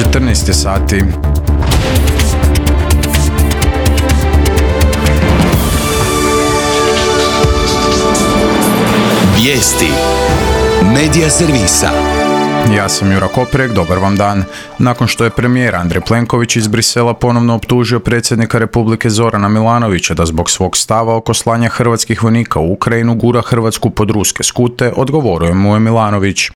14 je sati. Vijesti Medija servisa. Ja sam Jura Koprek, dobar vam dan. Nakon što je premijer Andrej Plenković iz Brisela ponovno optužio predsjednika Republike Zorana Milanovića da zbog svog stava oko slanja hrvatskih vojnika u Ukrajinu gura Hrvatsku pod ruske skute, odgovorio mu je Milanović.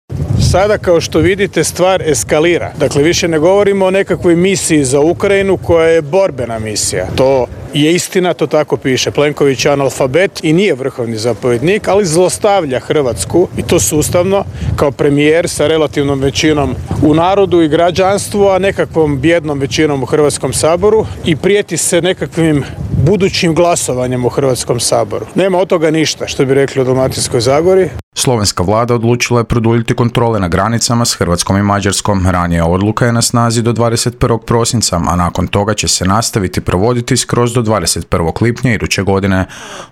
Sada, kao što vidite, stvar eskalira. Dakle, više ne govorimo o nekakvoj misiji za Ukrajinu koja je borbena misija. To je istina, to tako piše. Plenković je analfabet i nije vrhovni zapovjednik, ali zlostavlja Hrvatsku, i to sustavno, kao premijer sa relativnom većinom u narodu i građanstvu, a nekakvom bijednom većinom u Hrvatskom saboru, i prijeti se nekakvim budućim glasovanjem u Hrvatskom saboru. Nema od toga ništa, što bi rekli u Dalmatinskoj Zagori. Slovenska vlada odlučila je produljiti kontrole na granicama s Hrvatskom i Mađarskom. Ranija odluka je na snazi do 21. prosinca, a nakon toga će se nastaviti provoditi skroz do 21. lipnja iduće godine.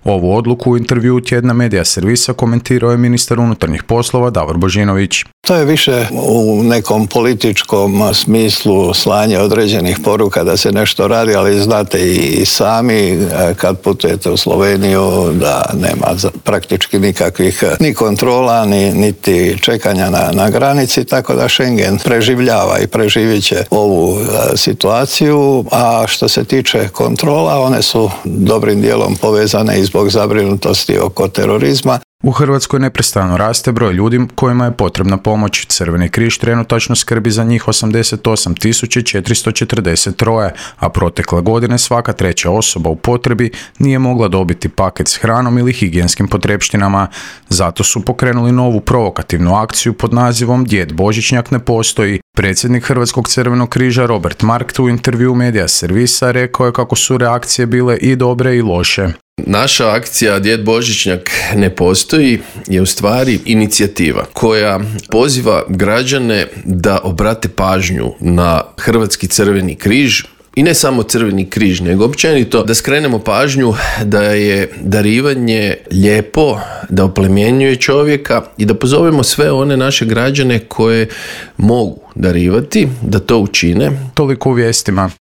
Ovu odluku u intervjuu tjedna Medija servisa komentirao je ministar unutarnjih poslova Davor Božinović. To je više u nekom političkom smislu slanje određenih poruka da se nešto radi, ali znate i sami kad putujete u Sloveniju da nema praktički nikakvih ni kontrola, niti čekanja na granici, tako da Schengen preživljava i preživit će ovu situaciju, a što se tiče kontrola, one su dobrim dijelom povezane i zbog zabrinutosti oko terorizma. U Hrvatskoj neprestano raste broj ljudi kojima je potrebna pomoć. Crveni križ trenutačno skrbi za njih 88.443, a protekle godine svaka treća osoba u potrebi nije mogla dobiti paket s hranom ili higijenskim potrepštinama. Zato su pokrenuli novu provokativnu akciju pod nazivom Djed Božićnjak ne postoji. Predsjednik Hrvatskog crvenog križa Robert Markt u intervjuu Medija servisa rekao je kako su reakcije bile i dobre i loše. Naša akcija Djed Božićnjak ne postoji je u stvari inicijativa koja poziva građane da obrate pažnju na Hrvatski crveni križ. I ne samo Crveni križ, nego općenito da skrenemo pažnju da je darivanje lijepo, da oplemenjuje čovjeka i da pozovemo sve one naše građane koje mogu darivati, da to učine. Toliko u vijestima.